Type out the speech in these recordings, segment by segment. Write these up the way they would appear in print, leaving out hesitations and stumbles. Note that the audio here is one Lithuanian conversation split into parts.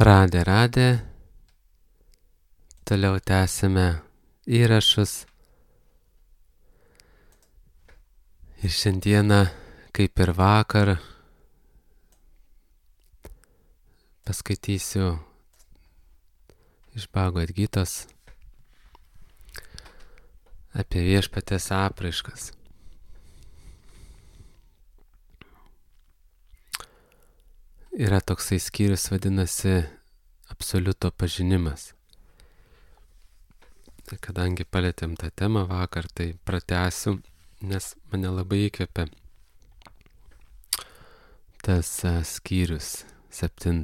Radė, toliau tęsime įrašus. Ir šiandieną, kaip ir vakar, paskaitysiu iš Bhagavad Gitos apie viešpaties apraiškas. Yra toksai skyrius, vadinasi absoliuto pažinimas. Tai kadangi palėtėm tą temą vakar, tai pratęsiu, nes mane labai įkvėpė tas skyrius 7.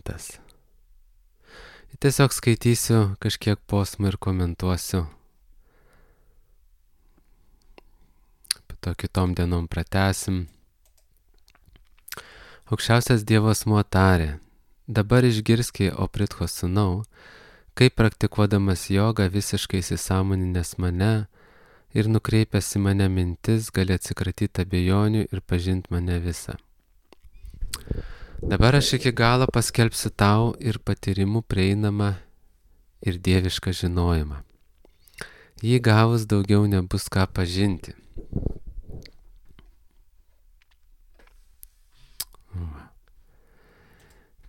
Tiesiog skaitysiu kažkiek posmą ir komentuosiu. Po to kitom dienom pratęsim. Aukščiausias Dievo asmuo tarė: dabar išgirski, o Pritcho sūnau, kaip praktikuodamas jogą visiškai įsisąmoninęs mane ir nukreipęs į mane mintis, gali atsikratyti abejonių ir pažinti mane visą. Dabar aš iki galo paskelbsiu tau ir patyrimų prieinamą ir dievišką žinojimą. Jį gavus daugiau nebus ką pažinti.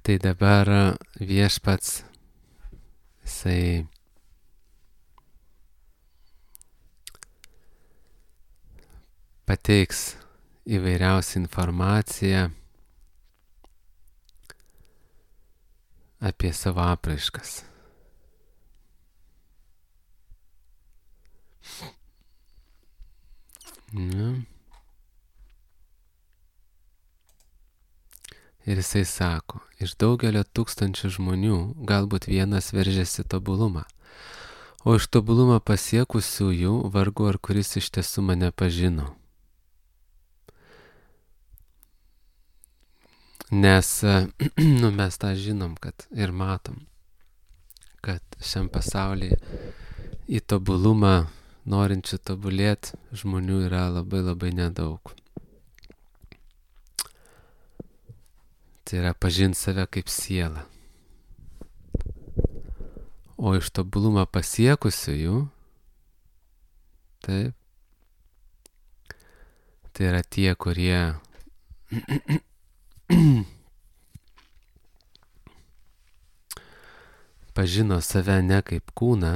Tai dabar viešpats, jisai pateiks įvairiausią informaciją apie savo apraiškas. Ir jisai sako, iš daugelio tūkstančių žmonių galbūt vienas veržiasi tobulumą, o iš tobulumą pasiekusiųjų vargu ar kuris iš tiesų mane pažino. Nes mes tą žinom, kad ir matom, kad šiam pasaulyje į tobulumą norinčių tobulėti žmonių yra labai labai nedaug. Tai yra pažinti save kaip sielą. O iš tobulumą pasiekusiųjų, taip, tai yra tie, kurie pažino save ne kaip kūną,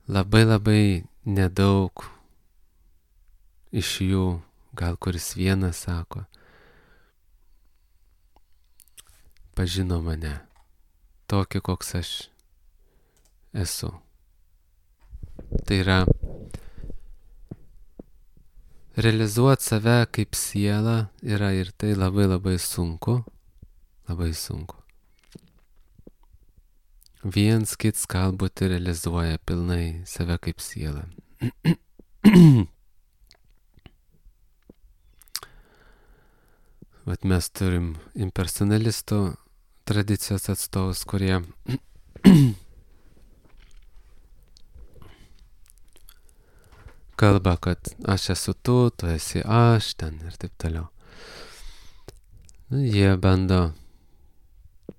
labai labai nedaug iš jų, gal kuris vienas sako, pažino mane tokį, koks aš esu. Tai yra realizuoti save kaip sielą yra ir tai labai labai sunku, labai sunku. Viens kits galbūt realizuoja pilnai save kaip sielą. Vat mes turim impersonalistų tradicijos atstovus, kurie kalba, kad aš esu tu esi aš, ten ir taip toliau. Jie bando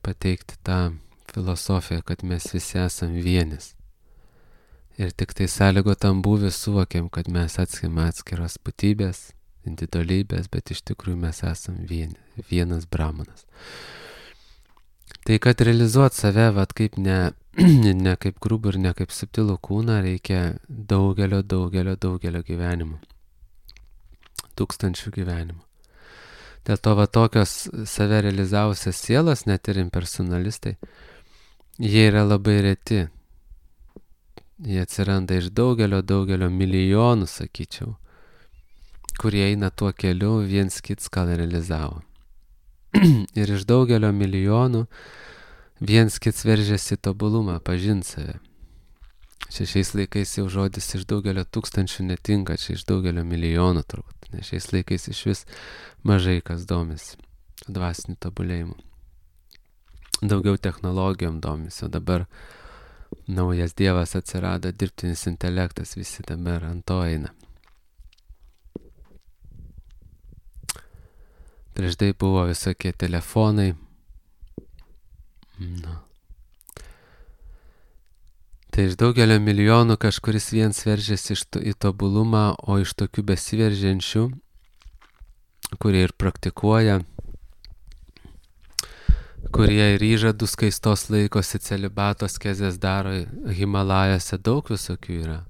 pateikti tą filosofiją, kad mes visi esam vienis. Ir tik tai sąlygotam būvį suvokiam, kad mes atskiros būtybės, individualybės, bet iš tikrųjų mes esam vienas brahmanas. Tai kad realizuoti save, vat kaip ne kaip grubų ir ne kaip subtilų kūną, reikia daugelio gyvenimų. Tūkstančių gyvenimų. Dėl to va tokios save realizavusios sielos, net ir impersonalistai, jie yra labai reti. Jie atsiranda iš daugelio milijonų, sakyčiau, kurie eina tuo keliu, viens kits ką realizavo. Ir iš daugelio milijonų viens kits veržiasi tobulumą, pažinti save. Šiais laikais jau žodis iš daugelio tūkstančių netinka, čia iš daugelio milijonų turbūt, nes šiais laikais iš vis mažai kas domisi dvasiniu tobulėjimu. Daugiau technologijom domisi, o dabar naujas dievas atsirado, dirbtinis intelektas, visi dabar ant to eina. prieš tai buvo visokie telefonai. Nu. Tai iš daugelio milijonų kažkuris viens veržiasi į tobulumą, o iš tokių besiveržiančių, kurie ir praktikuoja, kurie ir įžadus skaistos laikosi, celibatos kezės daro Himalajose, daug visokių yra.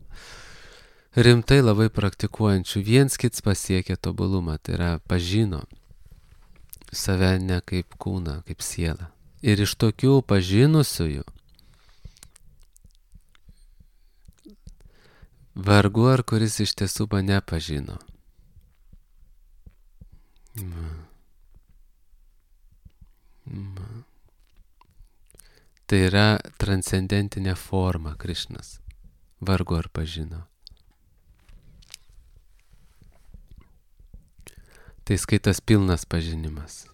Rimtai labai praktikuojančių, viens kits pasiekia tobulumą, tai yra pažino save ne kaip kūną, kaip sielą. Ir iš tokių pažinusiųjų vargu ar kuris iš tiesų mane pažino. Tai yra transcendentinė forma Krišnas. Vargu ar pažino. Tai skaitas pilnas pažinimas.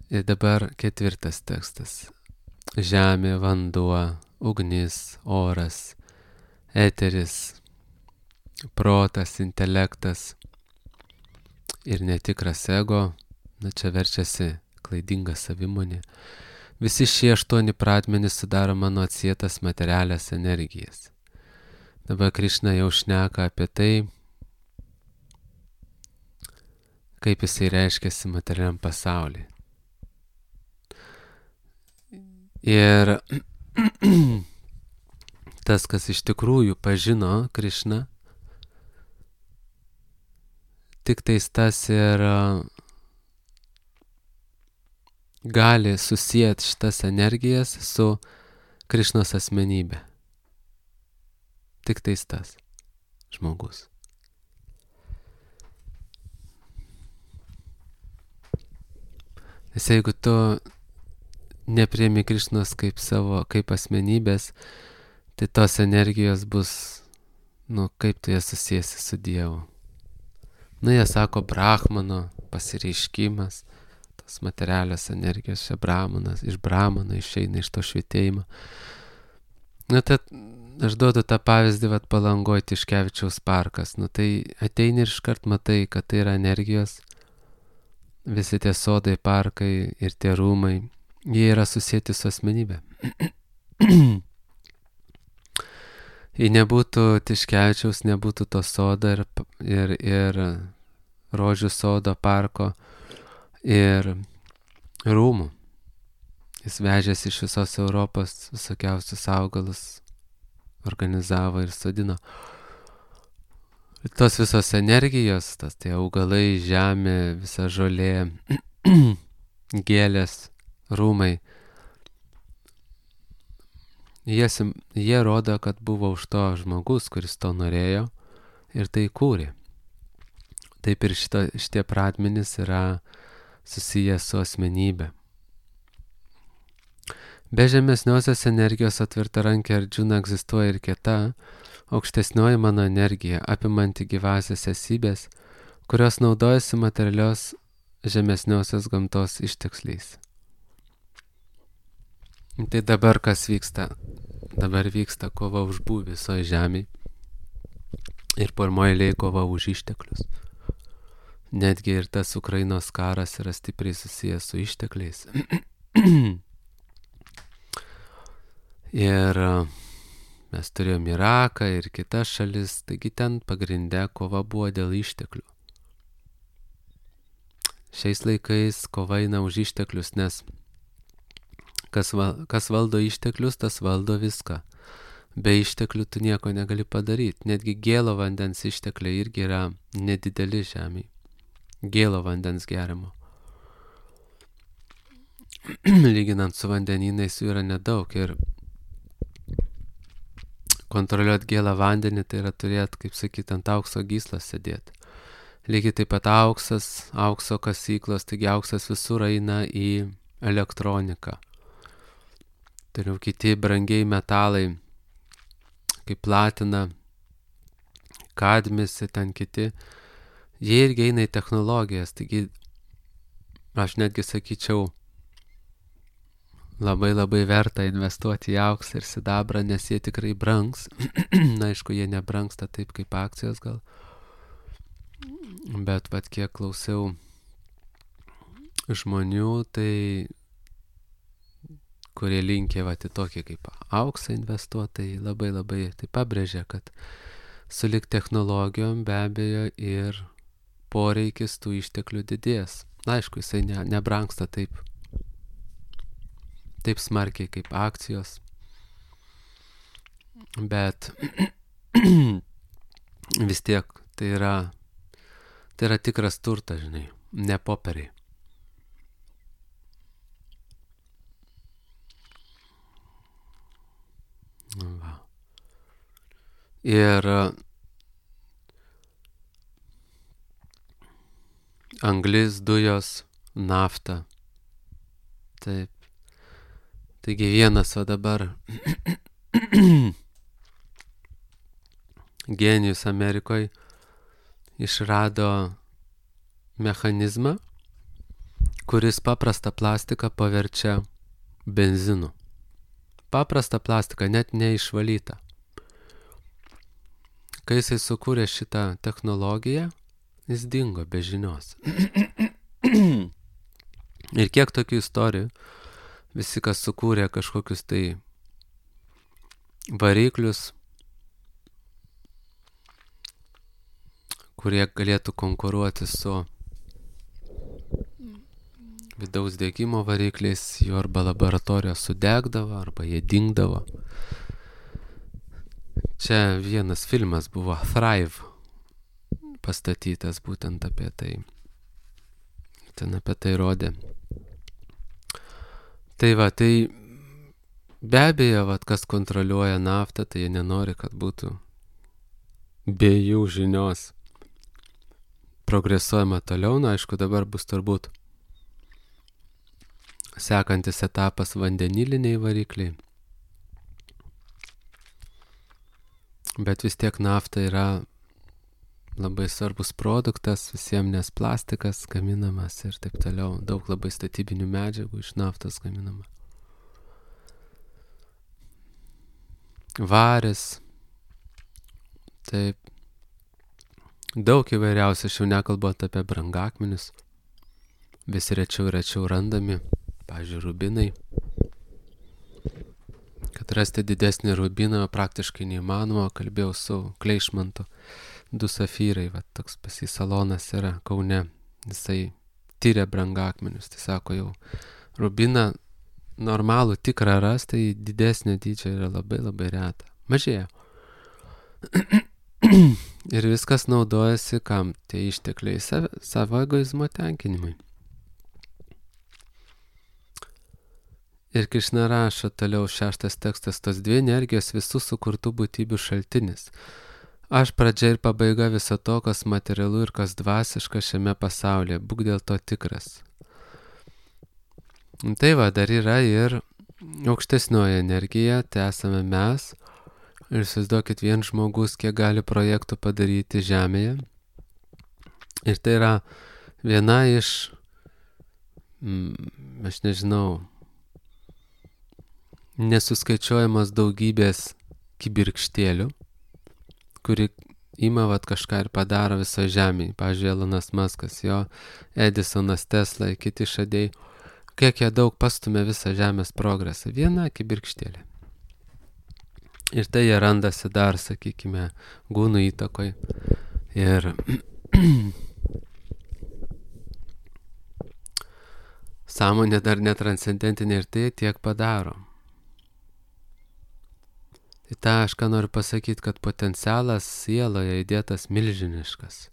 Ir dabar 4 tekstas. Žemė, vanduo, ugnis, oras, eteris, protas, intelektas ir netikras ego, čia verčiasi klaidinga savimonė. Visi šie 8 pradmenys sudaro mano atsietas materialias energijas. Dabar Krišna jau šneka apie tai, kaip jisai reiškiasi materialiam pasauliui. Ir tas, kas iš tikrųjų pažino Krišną, tik tais tas ir gali susijęti šitas energijas su Krišnos asmenybė. Tik tais tas žmogus. Nes jeigu tu nepriimi Krišnos kaip asmenybės, tai tos energijos bus, kaip tu jas susiesi su Dievu. Jie sako Brahmano pasireiškimas, tos materialios energijos, iš Brahmano išeina iš to švietėjimo. Tai aš duodu tą pavyzdį, Palangoj Tiškevičiaus parkas. Tai ateini ir iškart matai, kad tai yra energijos, visi tie sodai, parkai ir tie rūmai, jie yra susijęti su asmenybė. Jei nebūtų Tiškevičiaus, nebūtų to sodo ir rožių sodo, parko ir rūmų. Jis vežėsi iš visos Europos visokiausius augalus, organizavo ir sodino. Tos visos energijos, tie augalai, žemė, visa žolė, gėlės, rūmai, jie rodo, kad buvo už to žmogus, kuris to norėjo ir tai kūrė. Taip ir šitie pradmenys yra susiję su asmenybė. Be žemesniosios energijos atvirtarankė Arjuna egzistuoja ir kita, aukštesnioji mano energija, apimanti gyvasias esybės, kurios naudojasi materialios žemesniosios gamtos ištekliais. Tai dabar kas vyksta? Dabar vyksta kova už būvį visoje žemėje ir pirmoje eilėje kova už išteklius. Netgi ir tas Ukrainos karas yra stipriai susijęs su ištekliais. Ir mes turėjom Iraką ir kitas šalis, taigi ten pagrinde kova buvo dėl išteklių. Šiais laikais kova eina už išteklius, nes kas valdo išteklius, tas valdo viską. Be išteklių tu nieko negali padaryti. Netgi gėlo vandens ištekliai irgi yra nedideli žemėje. Gėlo vandens gerimo. Lyginant su vandenynais jų yra nedaug ir kontroliuoti gėlą vandenį tai yra turėti, kaip sakyti, ant aukso gyslos sėdėti. Lygiai taip pat aukso kasyklos, taigi auksas visur eina į elektroniką. Toliau kiti brangiai metalai, kaip platina, kadmis ir ten kiti, jie irgi eina į technologijas, taigi aš netgi sakyčiau, labai labai verta investuoti į auksą ir sidabrą, nes jie tikrai brangs. Na, aišku, jie nebrangsta taip kaip akcijos gal. Bet vat kiek klausiau žmonių, tai kurie linkia vat į tokį kaip auksą investuotojai, labai tai pabrėžia, kad sulig technologijom be abejo ir poreikis tų išteklių didės. Na, aišku, jisai nebrangsta taip smarkiai kaip akcijos, bet vis tiek tai yra tikras turtas, žinai, ne popieriai. Va. Ir anglis, dujos, nafta. Taip. Taigi vienas o dabar genijus Amerikoje išrado mechanizmą, kuris paprastą plastiką paverčia benzinu. Paprastą plastiką, net neišvalytą. Kai jisai sukūrė šitą technologiją, jis dingo be žinios. Ir kiek tokių istorijų, visi, kas sukūrė kažkokius tai variklius, kurie galėtų konkuruoti su vidaus degimo varikliais, jų arba laboratorijos sudegdavo, arba jie dingdavo. Čia vienas filmas buvo Thrive pastatytas būtent apie tai. Ten apie tai rodė. Tai va, tai be abejo, vat, kas kontroliuoja naftą, tai jie nenori, kad būtų be jų žinios progresuojama toliau. Na, aišku, dabar bus turbūt sekantis etapas vandeniliniai varikliai. Bet vis tiek nafta yra labai svarbus produktas visiems, nes plastikas gaminamas ir taip toliau. Daug labai statybinių medžiagų iš naftos gaminama. Varis. Taip. Daug įvairiausių, aš jau nekalbant apie brangakmenius. Vis rečiau randami. Pavyzdžiui, rubinai. Kad rasti didesnį rubiną praktiškai neįmanoma. Kalbėjau su Kleišmantu. 2 safyrai, va, toks pas jį salonas yra Kaune. Jisai tyria brangakmenius. Tai sako, jau rubiną normalų tikrą ras, tai didesnio dydžio yra labai reta. Mažėja. Ir viskas naudojasi kam? Tie ištekliai savo egoizmo tenkinimui. Ir Krišna rašo toliau 6 tekstas, tos 2 energijos visų sukurtų būtybių šaltinis. Aš pradžia ir pabaiga viso to, kas materialu ir kas dvasiška šiame pasaulyje. Būk dėl to tikras. Tai va, dar yra ir aukštesnioji energija, tai esame mes. Ir įsivaizduokit, vien žmogus, kiek gali projektų padaryti Žemėje. Ir tai yra viena iš, aš nežinau, nesuskaičiuojamas daugybės kibirkštėlių, kuri ima vat kažką ir padaro viso Žemėje. Pavyzdžiui, Elonas Muskas, jo, Edisonas, Tesla, kiti išradėjai. Kiek jie daug pastumė visą Žemės progresą. Viena kibirkštėlė. Ir tai jie randasi dar, sakykime, gūnų įtakoj. Ir sąmonė dar netranscendentinė ir tai tiek padaro. Tai tą aš ką noriu pasakyti, kad potencialas sieloje įdėtas milžiniškas.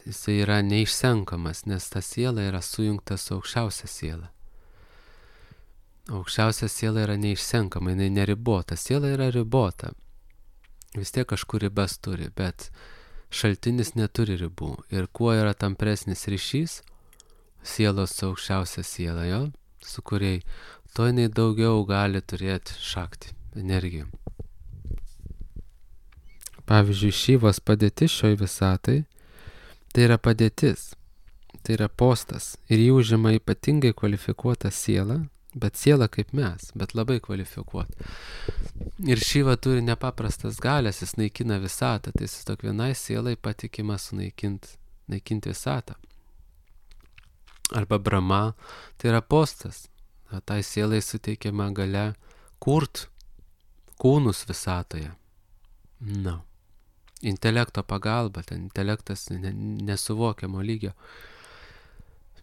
Jisai yra neišsenkamas, nes ta siela yra sujungta su aukščiausia siela. Aukščiausia siela yra neišsenkama, jinai neribota. Siela yra ribota. Vis tiek kažkur ribas turi, bet šaltinis neturi ribų. Ir kuo yra tampresnis ryšys sielos su aukščiausia siela, jo, su kuriai, to jinai daugiau gali turėti šakti, energijų. Pavyzdžiui, Šyvos padėtis šioj visatai, tai yra padėtis, tai yra postas. Ir jį užima ypatingai kvalifikuota siela, bet siela kaip mes, bet labai kvalifikuota. Ir Šyva turi nepaprastas galias, jis naikina visatą, tai jis tok vienai sielai patikima sunaikinti naikinti visatą. Arba Brahma, tai yra postas. Tai sielai suteikiama galia kurt kūnus visatoje. Intelekto pagalba, ten intelektas nesuvokiamo lygio.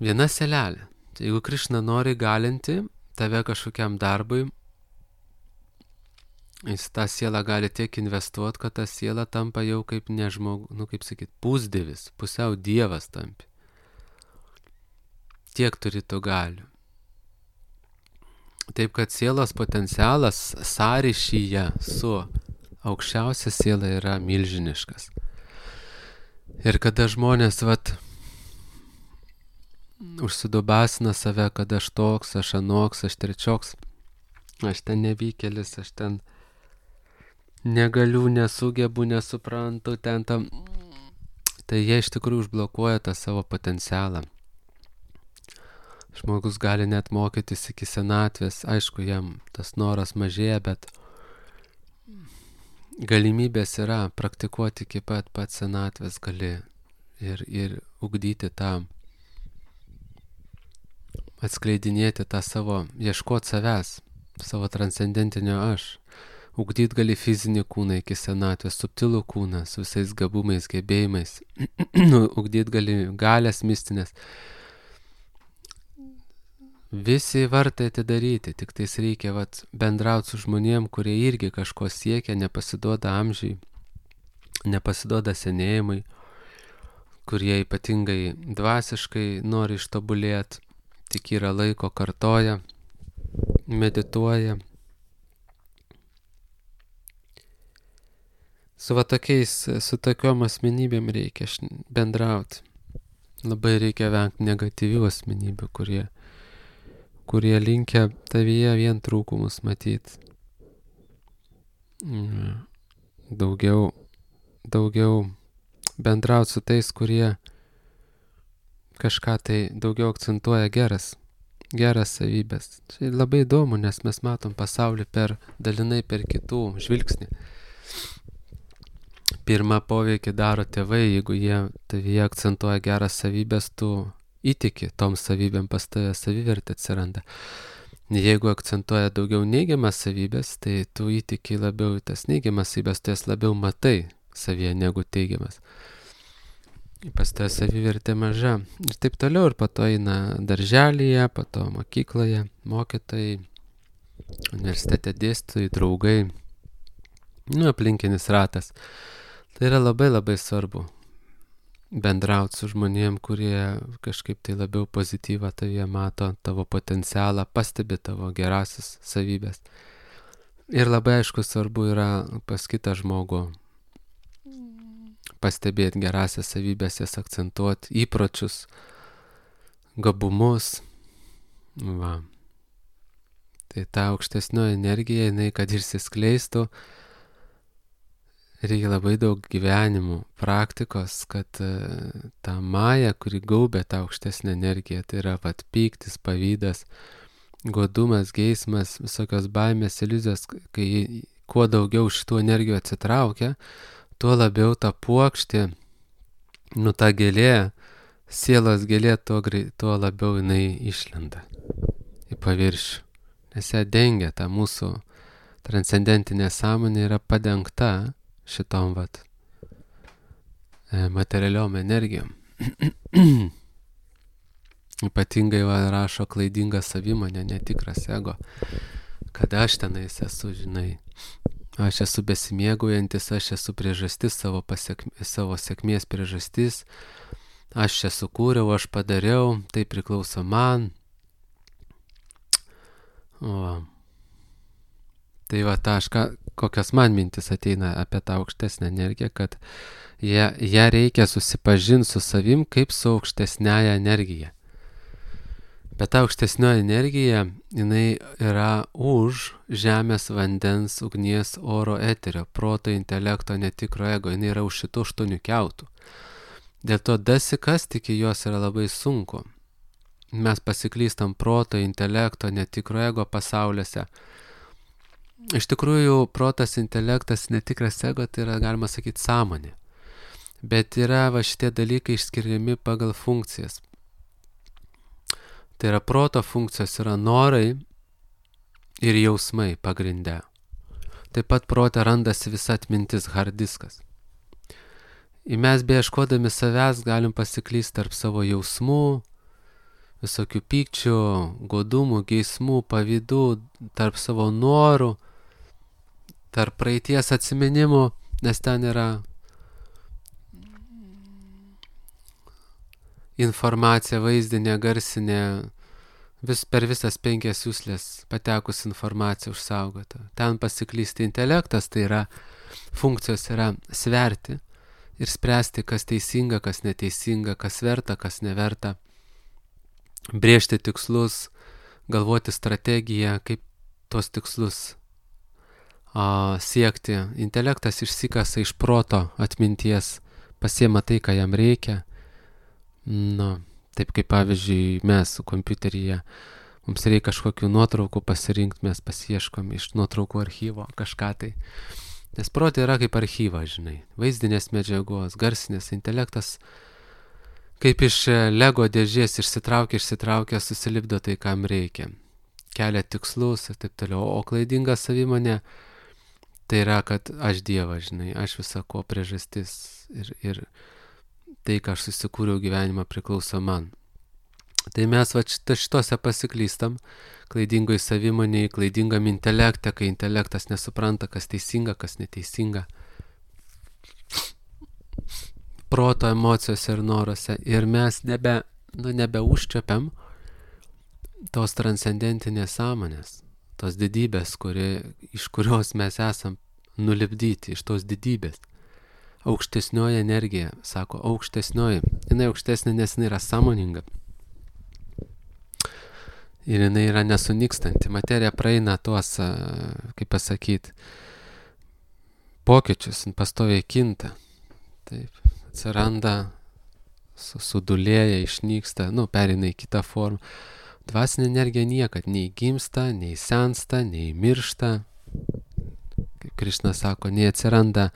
Viena sielelė. Jeigu Krišna nori galinti tave kažkokiam darbui, jis tą sielą gali tiek investuoti, kad ta siela tampa jau kaip pusdievis, pusiau dievas tampi. Tiek turi to galių. Taip, kad sielos potencialas sąryšyje su aukščiausia siela yra milžiniškas. Ir kada žmonės užsidubasina save, kad aš toks, aš anoks, aš trečioks, aš ten nevykėlis, aš ten negaliu, nesugebu, nesuprantu, tai jie iš tikrųjų užblokuoja tą savo potencialą. Žmogus gali net mokytis iki senatvės, aišku, jam tas noras mažėja, bet galimybės yra praktikuoti iki pat senatvės gali ir ugdyti tą, atskleidinėti tą savo, ieškoti savęs, savo transcendentinio aš. Ugdyti gali fizinį kūną iki senatvės, subtilų kūną su visais gabumais, gebėjimais. Ugdyti gali galės mistinės. Visi vartai atidaryti, tik tais reikia bendrauti su žmonėm, kurie irgi kažko siekia, nepasiduoda amžiui, nepasiduoda senėjimui, kurie ypatingai dvasiškai nori ištobulėti, tik yra laiko, kartoja, medituoja. Su tokiom asmenybėm reikia bendrauti. Labai reikia vengti negatyvių asmenybių, kurie linkia tavyje vien trūkumus matyti. Daugiau bendrauti su tais, kurie kažką tai daugiau akcentuoja geras savybės. Tai labai įdomu, nes mes matom pasaulį dalinai per kitų žvilgsnį. Pirmą poveikį daro tėvai, jeigu jie tavyje akcentuoja geras savybės, tu įtiki tom savybėm, pas tave savivertė atsiranda. Jeigu akcentuoja daugiau neigiamas savybės, tai tu įtiki labiau į tas neigiamas savybės, tu jas labiau matai savyje negu teigiamas. Pas tave savivertė maža. Ir taip toliau, ir po to eina darželyje, po to mokykloje, mokytojai, universitete dėstytojai, draugai, aplinkinis ratas. Tai yra labai labai svarbu bendrauti su žmonėm, kurie kažkaip tai labiau pozityvą tavyje mato, tavo potencialą, pastebi tavo gerasias savybės. Ir labai aišku svarbu yra pas kitą žmogų pastebėti gerasias savybės, jas akcentuoti, įpročius, gabumus. Tai ta aukštesnioji energija, jinai kad išsiskleistų, reikia labai daug gyvenimų, praktikos, kad ta maja, kuri gaubia tą aukštesnę energiją, tai yra pyktis, pavydas, godumas, geismas, visokios baimės, iliuzijos, kai kuo daugiau šitų energijų atsitraukia, tuo labiau ta puokštė, ta gėlė, sielos gėlė, tuo labiau jinai išlenda į paviršių. Nes ją dengia, ta mūsų transcendentinė sąmonė yra padengta šitom materialiom energijom. Ypatingai rašo klaidinga savimonė, netikras ego. Kad aš tenais esu, žinai, aš esu besimėgaujantis, aš esu priežastis, savo sėkmės priežastis, aš čia sukūriau, aš padariau, tai priklauso man. Tai kokios man mintis ateina apie tą aukštesnę energiją, kad ją reikia susipažinti su savim kaip su aukštesnėja energija. Bet ta aukštesnioji energija, jinai yra už žemės, vandens, ugnies, oro, eterio, proto, intelekto, netikro ego, jinai yra už šitų 8 kiautų. Dėl to dasikasti iki jos yra labai sunku. Mes pasiklystam proto, intelekto, netikro ego pasauliuose. Iš tikrųjų, protas, intelektas, netikras ego, tai yra, galima sakyti, sąmonė. Bet yra va šitie dalykai išskiriami pagal funkcijas. Tai yra proto funkcijos yra norai ir jausmai pagrinde. Taip pat prote randasi visa atmintis, hard diskas. Ir mes beieškodami savęs galim pasiklysti tarp savo jausmų, visokių pykčių, godumų, geismų, pavydų, tarp savo norų, tarp praeities atsiminimų, nes ten yra informacija vaizdinė, garsinė, per visas 5 juslės patekus informacija užsaugota. Ten pasiklysti intelektas, tai yra funkcijos yra sverti ir spręsti, kas teisinga, kas neteisinga, kas verta, kas neverta, brėžti tikslus, galvoti strategiją, kaip tos tikslus siekti. Intelektas išsikasa iš proto atminties, pasiema tai, ką jam reikia. Taip kaip pavyzdžiui mes su kompiuteryje, mums reikia kažkokių nuotraukų pasirinkti, mes pasieškom iš nuotraukų archyvo kažką tai. Nes protai yra kaip archyvas, žinai, vaizdinės medžiagos, garsinės, intelektas kaip iš Lego dėžės išsitraukia, susilipdo tai, kam reikia. Kelia tikslus ir taip toliau. O klaidinga savimonė tai yra, kad aš Dievas, žinai, aš visako priežastis ir tai, ką aš susikūriau gyvenimą, priklauso man. Tai mes šitose pasiklystam, klaidingoj savimonėj, klaidingam intelekte, kai intelektas nesupranta, kas teisinga, kas neteisinga. Proto emocijose ir noruose. Ir mes nebeužčiapiam tos transcendentinės sąmonės, tos didybės, iš kurios mes esam nulipdyti, iš tos didybės. Aukštesnioji energija, sako, aukštesnioji. Jinai aukštesnė, nes jinai yra sąmoninga. Ir jinai yra nesunykstanti. Materija praeina tuos, kaip pasakyti, pokyčius, pastoviai kinta. Taip, atsiranda, sudulėja, išnyksta, pereina į kitą formą. Dvasinė energija niekad nei gimsta, nei sensta, nei miršta. Krišna sako, nei atsiranda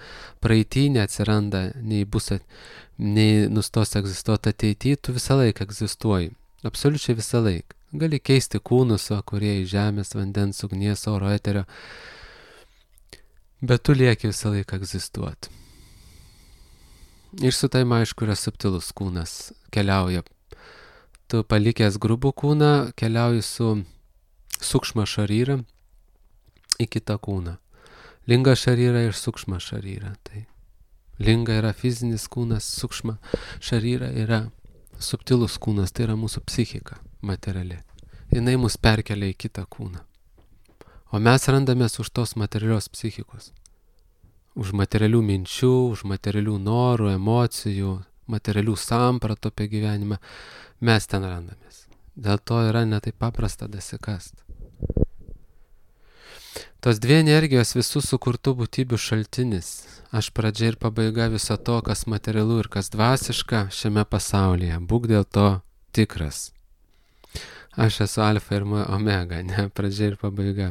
praeitį, neatsiranda, nei nustos egzistuoti ateity, tu visą laiką egzistuoji. Absoliučiai visą laiką. Gali keisti kūnus, kurie į žemės, vandens, ugnies, oro, eterio, bet tu lieki visą laiką egzistuoti. Ir su taim aišku yra subtilus kūnas, keliauja. Tu palikęs grubų kūną, keliauji su sukšma šaryra į kitą kūną. Linga šaryra ir sukšma šaryra. Tai linga yra fizinis kūnas, sukšma šaryra yra subtilus kūnas, tai yra mūsų psichika materiali. Jinai mus perkelia į kitą kūną. O mes randamės už tos materialios psichikos. Už materialių minčių, už materialių norų, emocijų, materialių sampratų apie gyvenimą. Mes ten randamės. Dėl to yra netaip paprasta dasikast. Tos dvi energijos visų sukurtų būtybių šaltinis. Aš pradžia ir pabaiga viso to, kas materialu ir kas dvasiška šiame pasaulyje. Būk dėl to tikras. Aš esu alfa ir omega, ne pradžia ir pabaiga.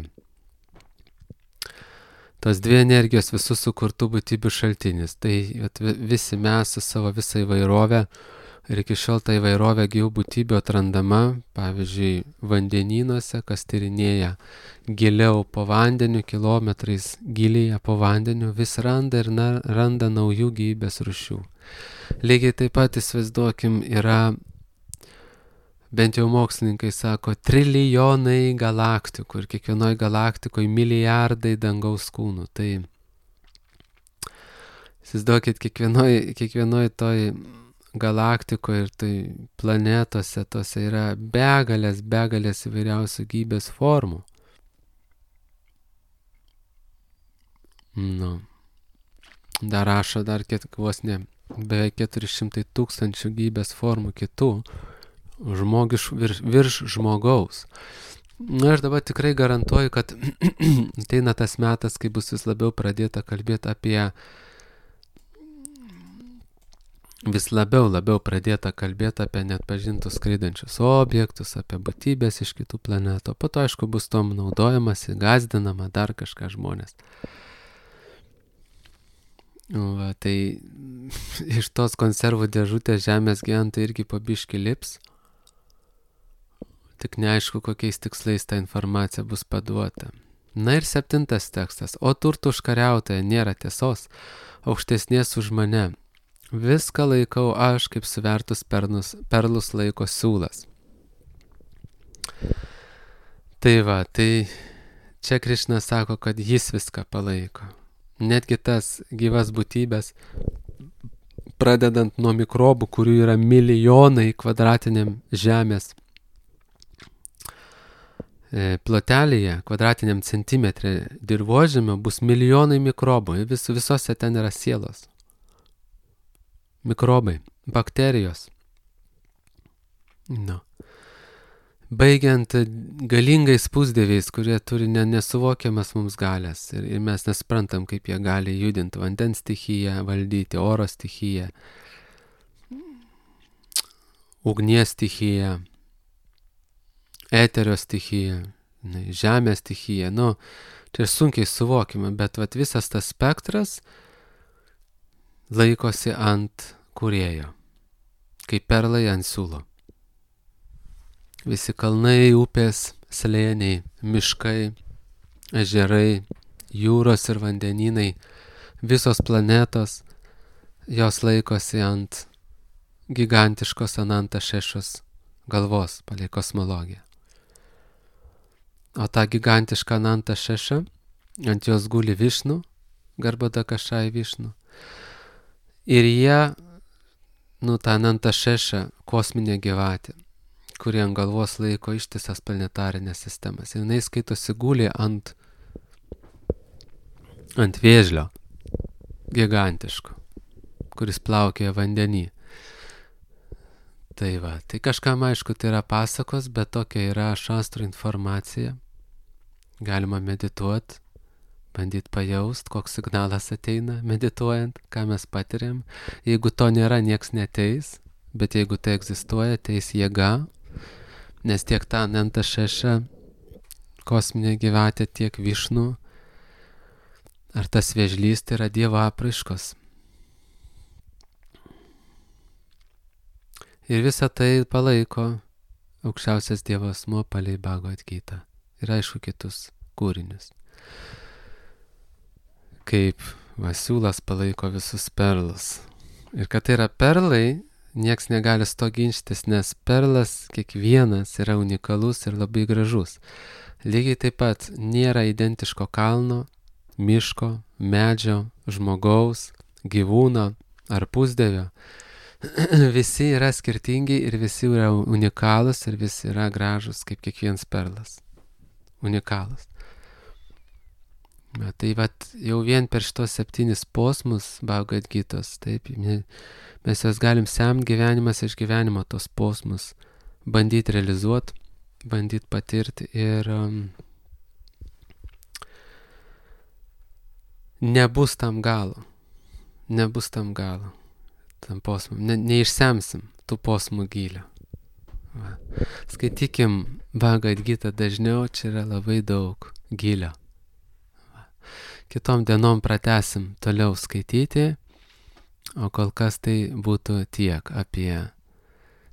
Tos dvi energijos visų sukurtų būtybių šaltinis. Tai visi mes su savo visą įvairovę ir iki šiol ta įvairovė gyvų būtybių atrandama, pavyzdžiui, vandenynuose, kas tyrinėja giliau po vandeniu, kilometrais gilyje po vandeniu, vis randa ir randa naujų gyvybės rūšių. Lygiai taip pat įsivaizduokim, yra, bent jau mokslininkai sako, trilijonai galaktikų ir kiekvienoj galaktikoje milijardai dangaus kūnų. Tai įsivaizduokit, kiekvienoj toj galaktikoje ir tai planetose, tose yra begalės įvairiausių gyvybės formų. Dar rašo vos ne beveik 400 000 gyvybės formų kitų virš žmogaus. Aš dabar tikrai garantuoju, kad ateina tas metas, kai bus vis labiau pradėta kalbėti apie neatpažintus skraidančius objektus, apie būtybės iš kitų planetų. Po to, aišku, bus tom naudojamasi, gąsdinama dar kažką žmonės. Va, tai iš tos konservų dėžutės žemės gyventojai irgi po biškį lips. Tik neaišku, kokiais tikslais ta informacija bus paduota. Na ir 7 tekstas. O turtų užkariautoje nėra tiesos, aukštesnės už mane. Viską laikau aš, kaip suvertus perlus laiko siūlas. Tai va, tai čia Krišna sako, kad jis viską palaiko. Netgi tas gyvas būtybės, pradedant nuo mikrobų, kurių yra milijonai kvadratiniam žemės plotelėje, kvadratiniam centimetre dirvožemio bus milijonai mikrobų. Visose ten yra sielos. Mikrobai, bakterijos. No. Baigiant galingais pusdieviais, kurie turi nesuvokiamas mums galias. Ir mes nesprantam, kaip jie gali judinti vandens stichiją, valdyti oro stichiją, ugnies stichiją, eterio stichija, žemės stichija, čia sunkiai suvokime, bet visas tas spektras laikosi ant kūrėjo, kaip perlai ant siūlo. Visi kalnai, upės, slėniai, miškai, ežerai, jūros ir vandenynai, visos planetos, jos laikosi ant gigantiškos Ananta Šešos galvos palei kosmologiją. O ta gigantiška Ananta Šeša, ant jos guli Višnu, Garbada Kašai Višnu. Ir jie, ta Ananta Šeša, kosminė gyvatė, kuri ant galvos laiko ištisas planetarinės sistemas. Ir jinai skaitosi guli ant vėžlio gigantiško, kuris plaukioja vandenį. Tai va, tai kažkam aišku tai yra pasakos, bet tokia yra šastrų informacija. Galima medituoti, bandyti pajaust, koks signalas ateina medituojant, ką mes patiriam. Jeigu to nėra, nieks neteis, bet jeigu tai egzistuoja, teis jėga, nes tiek ta Ananta Šeša, kosminė gyvatė, tiek Višnu, ar tas vėžlys, tai yra Dievo apraiškos. Ir visą tai palaiko aukščiausias Dievo asmuo palei Bhagavad Gitą. Ir aišku kitus kūrinius. Kaip siūlas palaiko visus perlus. Ir kad tai yra perlai, nieks negali to ginčytis, nes perlas kiekvienas yra unikalus ir labai gražus. Lygiai taip pat nėra identiško kalno, miško, medžio, žmogaus, gyvūno ar pusdievio. Visi yra skirtingi ir visi yra unikalus ir visi yra gražus kaip kiekvienas perlas. Unikalus. Tai jau vien per šitos 7 posmus Bhagavad Gitos, taip, mes juos galim semti gyvenimas iš gyvenimo tos posmus, bandyti realizuoti, bandyti patirti ir nebus tam galo. Nebus tam galo. Tam posmum. Neišsemsim tų posmų gylio. Skaitykim Bhagavad Gitą dažniau, čia yra labai daug gylio. Kitom dienom pratęsim toliau skaityti, o kol kas tai būtų tiek apie,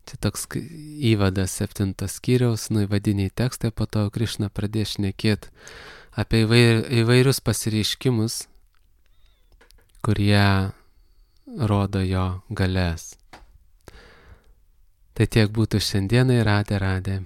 čia toks įvadas 7 skyriaus, įvadiniai tekstai, po to Krišna pradės šnekėti apie įvairius pasireiškimus, kurie rodo jo galės. Tai tiek būtų šiandienai, radė.